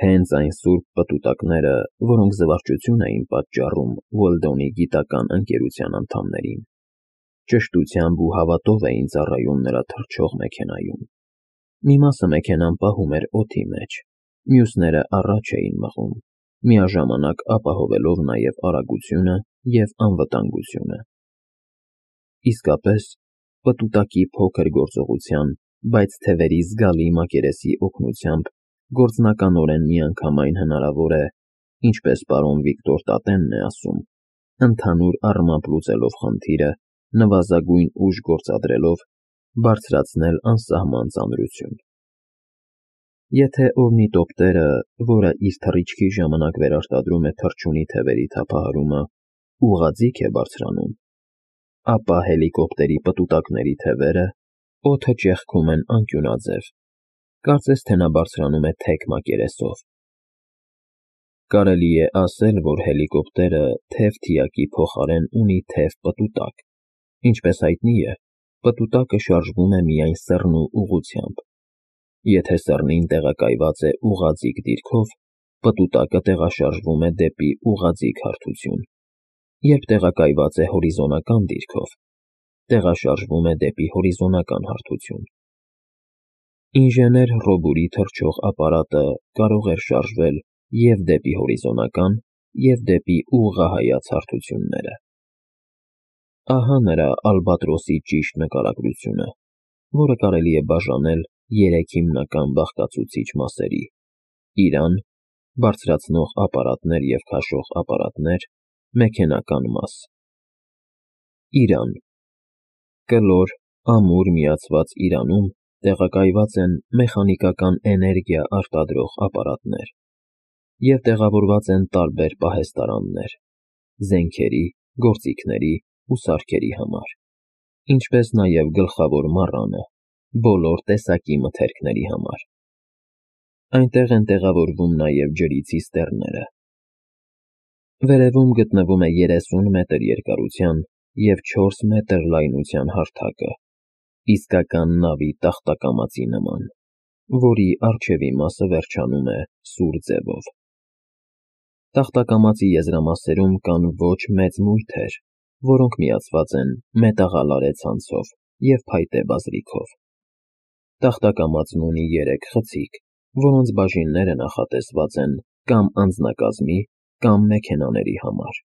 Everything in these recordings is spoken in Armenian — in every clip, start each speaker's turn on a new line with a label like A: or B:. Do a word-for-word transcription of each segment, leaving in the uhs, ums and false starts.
A: Հենց այն սուրբ պտուտակները, որոնք զվարճություն էին պատճառում Ուելդոնի գիտական ընկերության անդամներին, ճշտությամբ ու հավատով էին ծառայում նրա թռչող մեքենայում։ Մի մասը մեքենան պահում էր օդի մեջ, մյուսները առաջ էին մղում, միաժամանակ ապահովելով նաև արագությունը և անվտանգությունը։ Իսկապես, պտուտակի փոքր գործողության, բայց թևերի զգալի մակերեսի օգնությամբ գործնականորեն միանգամայն հնարավոր է, ինչպես պարոն Վիկտոր Տատենն է ասում, ընդհանուր առմամբ լուծելով խնդիրը, նվազագույն ուժ գործադրելով, բարձրացնել անսահման ծանրություն։ Եթե օրնիտոպտերը, որը իր թռիչքի ժամանակ վերարտադրում է թռչունի թևերի թափահարումը, ուղղաձիգ է բարձրանում, ապա հելիկոպտերի պտուտակների թևերը օդը ճեղքում են անկյունաձև, կարծես թե նա բարձրանում է թեք մակերեսով։ Կարելի է ասել, որ հելիկոպտերը թև֊թիակի փոխարեն ունի թև֊պտուտակ։ Ինչպես հայտնի է, պտուտակը շարժվում է միայն սեռնու ուղղությամբ։ Եթե սեռնին տեղակայված է ուղղաձիգ դիրքով, պտուտակը տեղաշարժվում է դեպի ուղղաձիգ հարթություն, երբ տեղակայված է հորիզոնական դիրքով, տեղաշարժվում է դեպի հորիզոնական հարթություն։ Ինժեներ Ռոբուրի թռչող ապարատը կարող էր շարժվել և՛ դեպի հորիզոնական, և՛ դեպի ուղղահայաց հարթությունները։ Ահա նրա ալբատրոսի ճիշտ նկարագրությունը, որը կարելի է բաժանել երեք հիմնական բաղկացուցիչ մասերի՝ իրան, բարձրացնող ապարատներ և քաշող ապարատներ, մեքենական մաս։ Իրան կլոր, ամուր միացված իրանում տեղակայված են մեխանիկական էներգիա արտադրող ապարատներ և տեղավորված են տարբեր պահեստարաններ՝ զենքերի, գործիքների ու սարքերի համար, ինչպես նաև գլխավոր մառանը՝ բոլոր տեսակի մթերքների համար։ Այնտեղ են տեղավորվում նաև ջրի ցիստեռները։ Վերևում գտնվում է երեսուն մետր երկարության և չորս մետր լայնության հարթակը, իսկական նավի տախտակամածի նման, որի առջևի մասը վերջանում է սուր ձևով։ Տախտակամածի եզրամասերում կան ոչ մեծ մույթեր, որոնք միացված են մետաղալարե ցանցով և փայտե բազրիքով։ Տախտակամածն ունի երեք խցիկ, որոնց բաժինները նախատեսված են կամ անձնակազմի, կամ մեքենաների համար։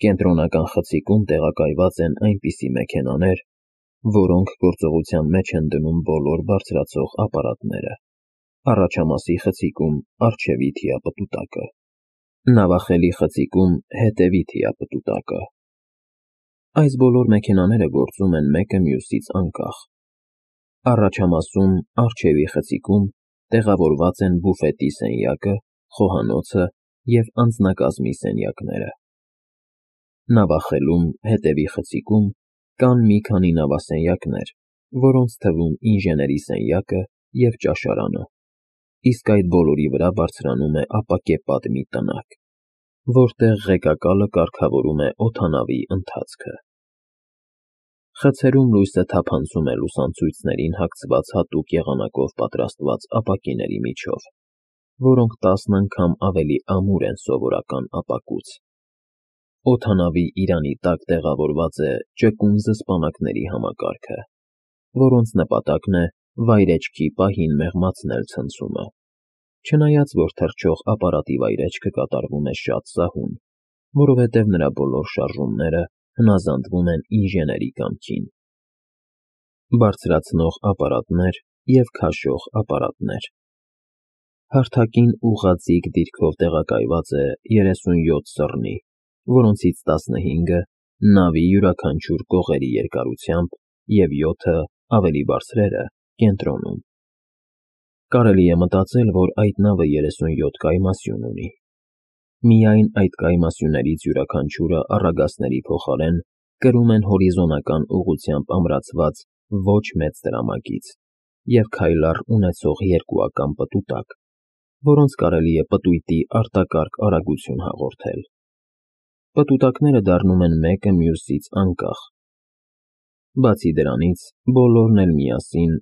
A: Կենտրոնական խցիկում տեղակայված են այնպիսի մեքենաներ, որոնք գործողության մեջ են դնում բոլոր բարձրացող ապարատները, առաջամասի խցիկում առջևի թիապտուտակը, նավախելի խցիկում հետևի թիապտուտակը։ Այս բոլոր մեքենաները գործում են մեկը մյուսից անկախ։ Առաջամասում, առջևի խցիկում, տեղավորված են բուֆետի սենյակը, խոհանոցը և անձնակազմի սենյակները։ Նավախելում, հետևի խցիկում, կան մի քանի նավասենյակներ, որոնց թվում ինժեների սենյակը և ճաշարանը, իսկ այդ բոլորի վրա բարձրանում է ապակեպատ մի տնակ, որտեղ ղեկակալը կարգավորում է օդանավի ընթացքը։ Խցերում լույսը թափանցում է լուսանցույցներին հագցված հատուկ եղանակով պատրաստված ապակիների միջով, որոնք տասն անգամ ավելի ամուր են սովորական ապակուց։ Օդանավի իրանի տակ տեղավորված է ճկուն զսպանակների համակարգը, որոնց նպատակն է վայրէջքի պահին մեղմացնել ցնցումը, չնայած որ թռչող ապարատի վայրէջքը կատարվում է շատ սահուն, որովհետև նրա բոլոր շարժումները հնազանդվում են ինժեների կամքին։ Բարձրացնող ապարատներ և քաշող ապարատներ։ Հարթակին ուղղաձիգ դիրքով տեղակայված է երեսունյոթ սռնի, որոնցից տասնհինգը նավի յուրաքանչյուր կողերի երկարությամբ և յոթը, ավելի բարձրերը, կենտրոնում։ Կարելի է մտածել, որ այդ նավը երեսունյոթ կայմասյուն ունի։ Միայն այդ կայմասյուններից յուրաքանչյուրը առագաստների փոխարեն կրում են հորիզոնական ուղղությամբ ամրացված ոչ մեծ տրամագիծ և քայլառ ունեցող երկու ակամ պտուտակ, որոնց կարելի է պտույտի արտակարգ արագություն հաղորդել։ Պտուտակները դառնում են մեկը մյուսից անկախ։ Բացի դրանից, բոլորն էլ միասին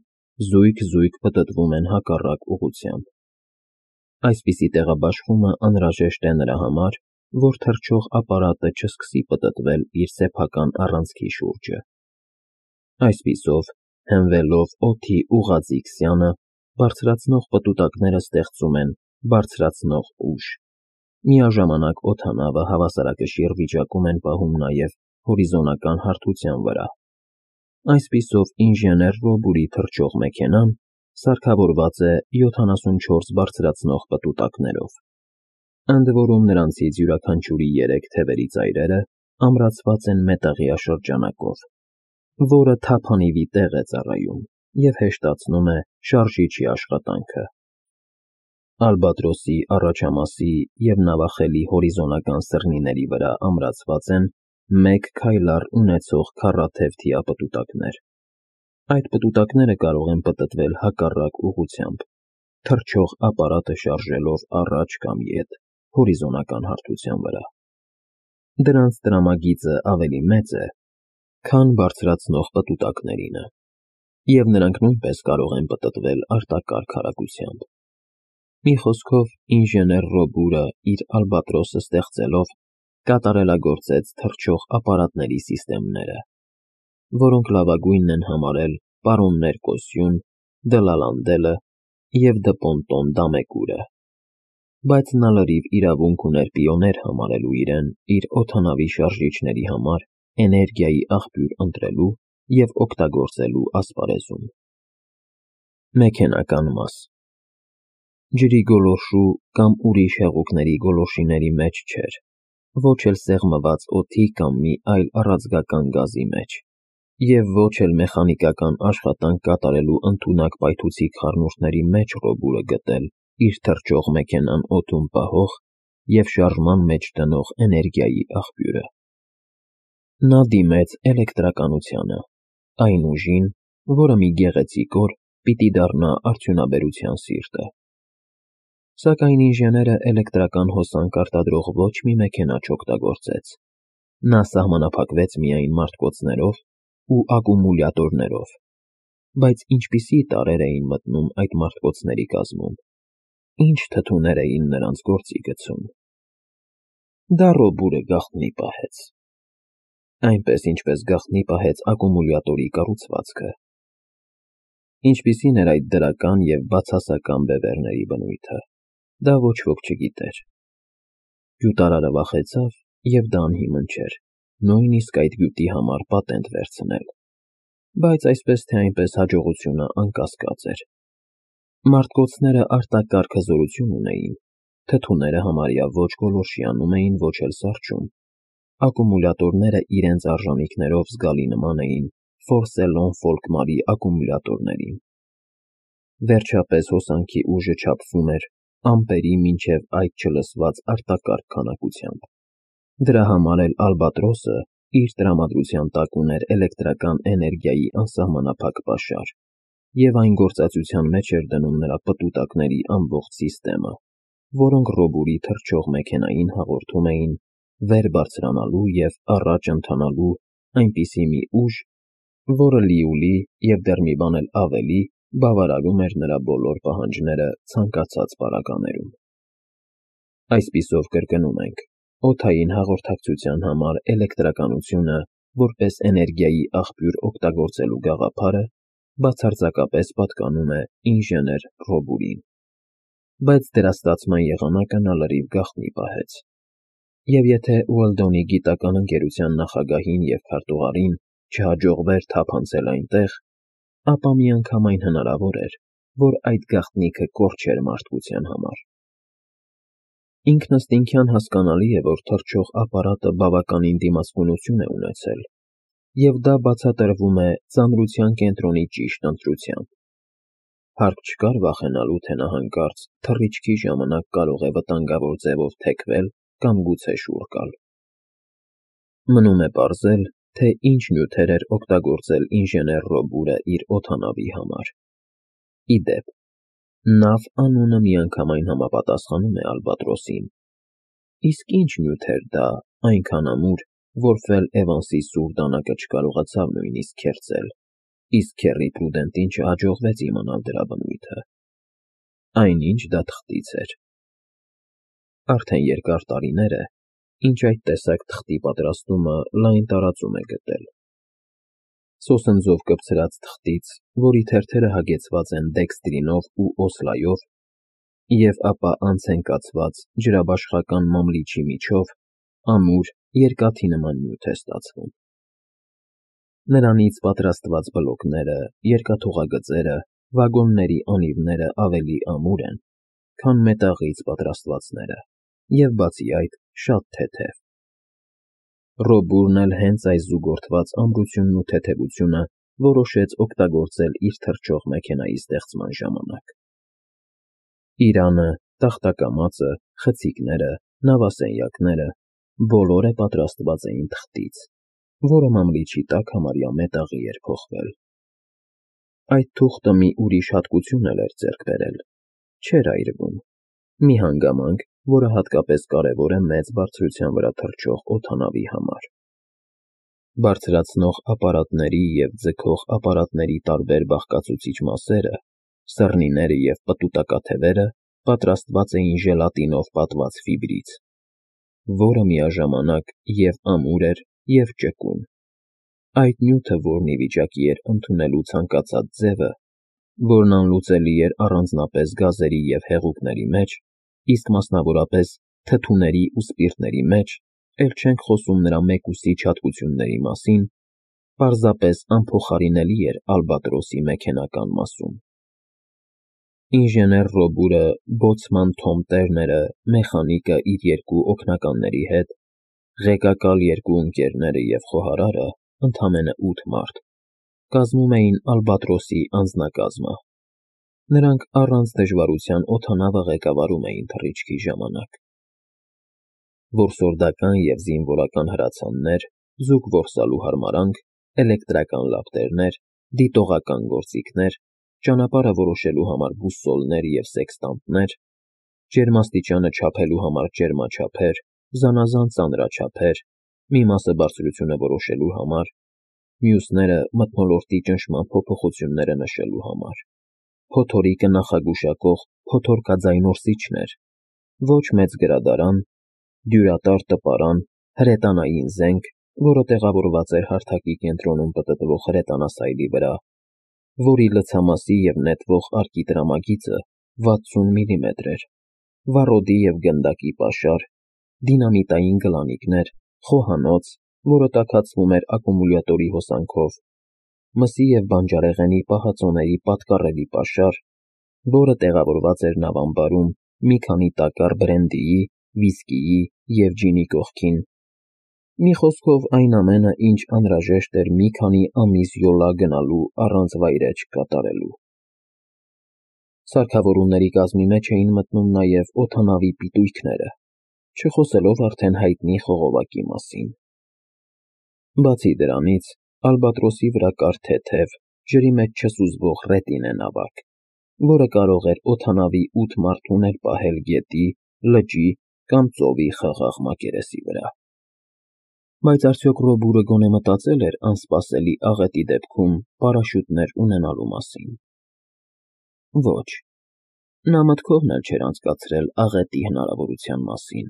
A: զույգ-զույգ պտտվում են հակառակ ուղղությամբ։ Այսպիսի տեղաբաշխումը անհրաժեշտ է նրա համար, որ թռչող ապարատը չսկսի պտտվել իր սեփական առանցքի շուրջը։ Այսպիսով, հենվելով օդի ուղղաձիգ սյանը, բարձրացնող պտուտակները ստեղծում են բարձրացնող ուժ։ Միաժամանակ օդանավը հավասարակշիռ վիճակում են պահում նաև հորիզոնական հարթության վրա։ Այսպիսով, ինժեներ Ռոբուրի թռչող մեքենան սարքավորված է յոթանասունչորս բարձրացնող պտուտակներով, ընդ որում նրանցից յուրաքանչյուրի երեք թևերի ծայրերը ամրացված են մետաղյա շրջանակով, որը թափանիվի տեղ է ծառայում և հեշտացնում է շարժիչի աշխատանքը։ Ալբատրոսի առաջամասի և նավախելի հորիզոնական սրնիների վրա ամրացված են մեկ քայլառ ունեցող քառաթև թիապտուտակներ։ Այդ պտուտակները կարող են պտտվել հակառակ ուղղությամբ, թռչող ապարատը շարժելով առաջ կամ ետ հորիզոնական հարթության վրա։ Դրանց տրամագիծը ավելի մեծ է, քան բարձրացնող պտուտակներինը, և նրանք նույնպես կարող են պտտվել արտակարգ արագությամբ։ Մի խոսքով, ինժեներ Ռոբուրը իր ալբատրոսը ստեղծելով կատարելագործեց թռչող ապարատների սիստեմները, որոնք լավագույնն են համարել պարոններ Կոսյուն, Դլալանդելը և Դպոնտոն Դամեկուրը, բայց նա լրիվ իրավունք ուներ պիոներ համարելու իրեն իր օդանավի շարժիչների համար էներգիայի աղբյուր ընտրելու և օգտագործելու ասպարեզում։ Մեքենական մաս ջրի գոլորշու կամ ուրիշ հեղուկների գոլորշիների մեջ չէր, ոչ էլ սեղմված օդի կամ մի այլ առաձգական գազի մեջ, և ոչ էլ մեխանիկական աշխատանք կատարելու ընդունակ պայթուցիկ խառնուրդների մեջ Ռոբուրը գտել իր թռչող մեքենան օդում պահող և շարժման մեջ դնող էներգիայի աղբյուրը։ Նա դիմեց էլեկտրականությանը, այն ուժին, որը մի գեղեցիկ օր պիտի դառնա արդյունաբերության սիրտը։ Սակայն ինժեները էլեկտրական հոսանք արտադրող ոչ մի մեքենա չօգտագործեց։ Նա սահմանափակվեց միայն մարտկոցներով ու ակումուլյատորներով, բայց ինչպիսի տարրեր էին մտնում այդ մարտկոցների կազմում, ինչ թթուներ էին նրանց գործի գցում։ Դա Ռոբուրը գաղտնի պահեց, այնպես, ինչպես գաղտնի պահեց ակումուլյատորի կառուցվածքը։ Ինչպիսին էր այդ դրական և բացասական բևեռների բնույթը, դա ոչ ոք չգիտեր։ Գյուտարարը վախեցավ, և դա անհիմն չէր նույնիսկ այդ գյուտի համար պատենտ վերցնել, բայց այսպես թե այնպես հաջողությունը անկասկած էր։ Մարտկոցները արտակարգ հզորություն ունեին, թթուները համարյա ոչ գոլորշիանում էին, ոչ էլ սառչում, ակումուլյատորները իրենց արժանիքներով զգալի նման էին Ֆորսելոն-Ֆոլկմարի ակումուլյատորներին։ Վերջապես հոսանքի ուժը չափվում էր ամպերի մինչև այդ չլսված արտակարգ քանակությամբ։ Դրա համար էլ ալբատրոսը իր տրամադրության տակ ուներ էլեկտրական էներգիայի անսահմանափակ պաշար, և այն գործածության մեջ էր դնում նրա պտուտակների ամբողջ սիստեմը, որոնք Ռոբուրի թռչող մեքենային հաղորդում էին վեր բարձրանալու և առաջ ընթանալու այնպիսի մի ուժ, որը լիուլի և դեռ մի բան էլ ավելի բավարարում էր նրա բոլոր պահանջները ցանկացած պարագաներում։ Այսպիսով, կրկնում ենք, օդային հաղորդակցության համար էլեկտրականությունը որպես էներգիայի աղբյուր օգտագործելու գաղափարը բացարձակապես պատկանում է ինժեներ Ռոբուրին, բայց դրա ստացման եղանակը նա լրիվ գաղտնի պահեց։ Եվ եթե Ուելդոնի գիտական ընկերության նախագահին և քարտուղարին չհաջողվեր թափանցել այնտեղ, ապա միանգամայն հնարավոր էր, որ այդ գաղտնիքը կորչեր մարդկության համար։ Ինքնըստինքյան հասկանալի է, որ թռչող ապարատը բավականին դիմացկունություն է ունեցել, և դա բացատրվում է ծանրության կենտրոնի ճիշտ ընտրությամբ։ Հարկ չկար վախենալու, թե նա հանկարծ թռիչքի ժամանակ կարող է վտանգավոր ձևով թեքվել կամ գուցե շուռ գալ։ Մնում է պարզել, թե ինչ նյութեր էր օգտագործել ինժեներ Ռոբուրը իր օդանավի համար։ Ի դեպ, նավ անունը միանգամայն համապատասխանում է ալբատրոսին, իսկ ինչ նյութ էր դա այնքան ամուր, որ Ֆել Էվանսի սուր դանակը չկարողացավ նույնիսկ քերծել, իսկ Քեռի Պրուդենտին չհաջողվեց իմանալ դրա բնույթը։ Այնինչ դա թղթից էր, Արդեն երկար տարիներ է, ինչ այդ տեսակ թղթի պատրաստումը լայն տարածում է գտել։ Սոսնձով կպցրած թղթից, որի թերթերը հագեցված են դեքստրինով ու օսլայով, և ապա անց են կացված ջրաբաշխական մամլիչի միջով, ամուր, երկաթի նման նյութ է ստացվում։ Նրանից պատրաստված բլոկները, երկաթուղագծերը, վագոնների անիվները ավելի ամուր են, քան մետաղից պատրաստվածները, և բացի այդ, շատ թեթև։ Ռոբուրն էլ հենց այս զուգորդված ամրությունն ու թեթևությունը որոշեց օգտագործել իր թռչող մեքենայի ստեղծման ժամանակ։ Իրանը, տախտակամածը, խցիկները, նավասենյակները բոլորը պատրաստված էին թղթից, որը մամլիչի տակ համարյա մետաղի էր փոխվել։ Այդ թուղթը մի ուրիշ հատկություն էլ էր ձեռք բերել. չէր այրվում, մի հանգամանք, որը հատկապես կարևոր է մեծ բարձրության վրա թռչող օդանավի համար։ Բարձրացնող ապարատների և ձգող ապարատների տարբեր բաղկացուցիչ մասերը, սռնիները և պտուտակաթևերը պատրաստված էին ժելատինով պատված ֆիբրից, որը միաժամանակ և ամուր էր, և ճկուն։ Այդ նյութը, որն ի վիճակի էր ընդունելու ցանկացած ձևը, որն անլուծելի էր առանձնապես գազերի և հեղուկների մեջ, իսկ մասնավորապես թթուների ու սպիրտների մեջ, էլ չենք խոսում նրա մեկուսիչ հատկությունների մասին, պարզապես անփոխարինելի էր ալբատրոսի մեքենական մասում։ Ինժեներ Ռոբուրը, բոցման Թոմ Տերները, մեխանիկը իր երկու օգնականների հետ, ղեկակալ երկու ընկերները և խոհարարը, ընդամենը ութ մարդ, կազմում էին ալբատրոսի անձնակազմը։ Նրանք առանց դժվարության օդանավը ղեկավարում էին թռիչքի ժամանակ։ Որսորդական և զինվորական հրացաններ, զուգ որսալու հարմարանք, էլեկտրական լապտերներ, դիտողական գործիքներ, ճանապարհը որոշելու համար բուսոլներ և սեքստանտներ, ջերմաստիճանը չափելու համար ջերմաչափեր, զանազան ծանրաչափեր, մի մասը բարձրությունը որոշելու համար, մյուսները մթնոլորտի ճնշման փոփոխությունները նշելու համար, փոթորիկը նախագուշակող փոթորկաձայնորսիչներ, ոչ մեծ գրադարան, դյուրատար տպարան, հրետանային զենք, որը տեղավորված էր հարթակի կենտրոնում պտտվող հրետանասայլի վրա, որի լցամասի և նետվող արկի տրամագիծը վաթսուն միլիմետր էր, վառոդի և գնդակի պաշար, դինամիտային գլանիկներ, խոհանոց, որը տաքացվում էր ակումուլյատորի հոսանքով, մսի և բանջարեղենի պահածոների պատկառելի պաշար, որը տեղավորված էր նավամբարում մի քանի տակառ բրենդիի, վիսկիի և ջինի կողքին, մի խոսքով այն ամենը, ինչ անհրաժեշտ էր մի քանի ամիս յոլա գնալու առանց վայրէջք կատարելու։ Սարքավորումների կազմի մեջ էին մտնում նաև օդանավի պիտույքները, չխոսելով արդեն հայտնի խողովակի մասին։ Բացի դրանից, ալբատրոսի վրա կար թեթև, ջրի մեջ չսուզվող ռետինե նավակ, որը կարող էր օդանավի ութ մարդուն էլ պահել գետի, լճի կամ ծովի խաղաղ մակերեսի վրա։ Բայց արդյոք Ռոբուրը գոնե մտածել էր անսպասելի աղետի դեպքում պարաշյուտներ ունենալու մասին։ Ոչ, նա մտքովն էլ չէր անցկացրել աղետի հնարավորության մասին։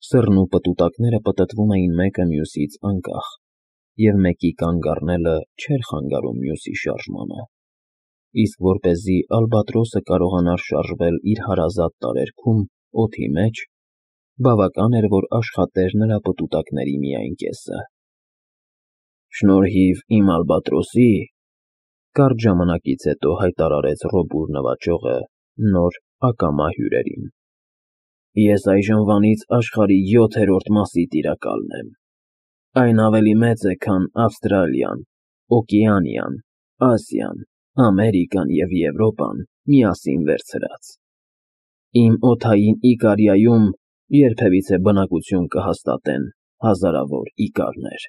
A: Սռն ու պտուտակները պտտվում էին մեկը մյուսից անկախ, և մեկի կանգ առնելը չէր խանգարում մյուսի շարժմանը, իսկ որպեսզի ալբատրոսը կարողանար շարժվել իր հարազատ տարերքում, օդի մեջ, բավական էր, որ աշխատեր նրա պտուտակների միայն կեսը։ «Շնորհիվ իմ ալբատրոսի,» կարճ ժամանակից հետո հայտարարեց Ռոբուր նվաճողը նոր ակամա հյուրերին, «ես այժմվանից աշխարհի յոթերորդ մասի տիրակալն եմ։ Այն ավելի մեծ է, քան Ավստրալիան, Օկեանիան, Ասիան, Ամերիկան և Եվրոպան միասին վերցրած։ Իմ օդային Իկարիայում երբևիցե բնակություն կհաստատեն հազարավոր իկարներ»։